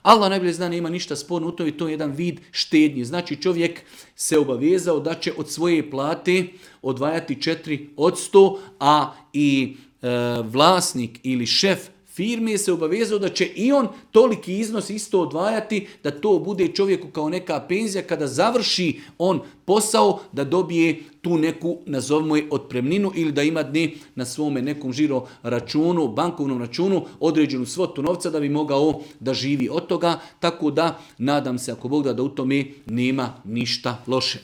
Allah najbolje zna, nema ništa sporno u to i to je jedan vid štednje. Znači čovjek se obavezao da će od svoje plate odvajati 4%, a i vlasnik ili šef firme se obavezao da će i on toliki iznos isto odvajati, da to bude čovjeku kao neka penzija kada završi on posao, da dobije tu neku, nazovimo je, otpremninu ili da ima dni na svome nekom žiro računu, bankovnom računu, određenu svotu novca da bi mogao da živi od toga. Tako da nadam se, ako Bog da u tome nema ništa loše.